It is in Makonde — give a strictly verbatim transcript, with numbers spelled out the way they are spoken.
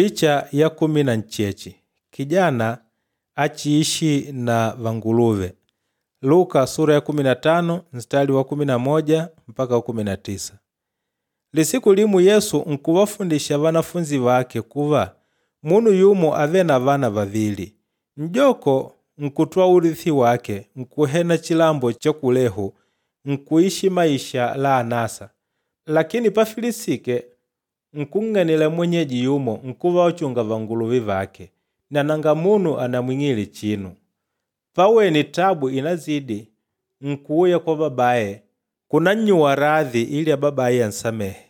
Picha ya kumi na ncheche kijana achiishi na vanguluve. Luka sura ya kumi na tano mstari wa kumi na moja mpaka wa kumi na tisa. Lisiku limu Yesu nkuvafundisha vanafunzi vake kuva munu yumo avele na vana vavili. N'joko nkutwala urithi wake nkuhena chilambo cha kulehu nkuishi maisha la anasa. Lakini pafilisike nkung'anila mwenyeji yumo nkuva ochunga vanguluve vake na nanga munu anamwing'ile chinu. Pawene tabu inazidi nkuuya kwa babaye kunannyuwa radhi ili ababaye ansamehe.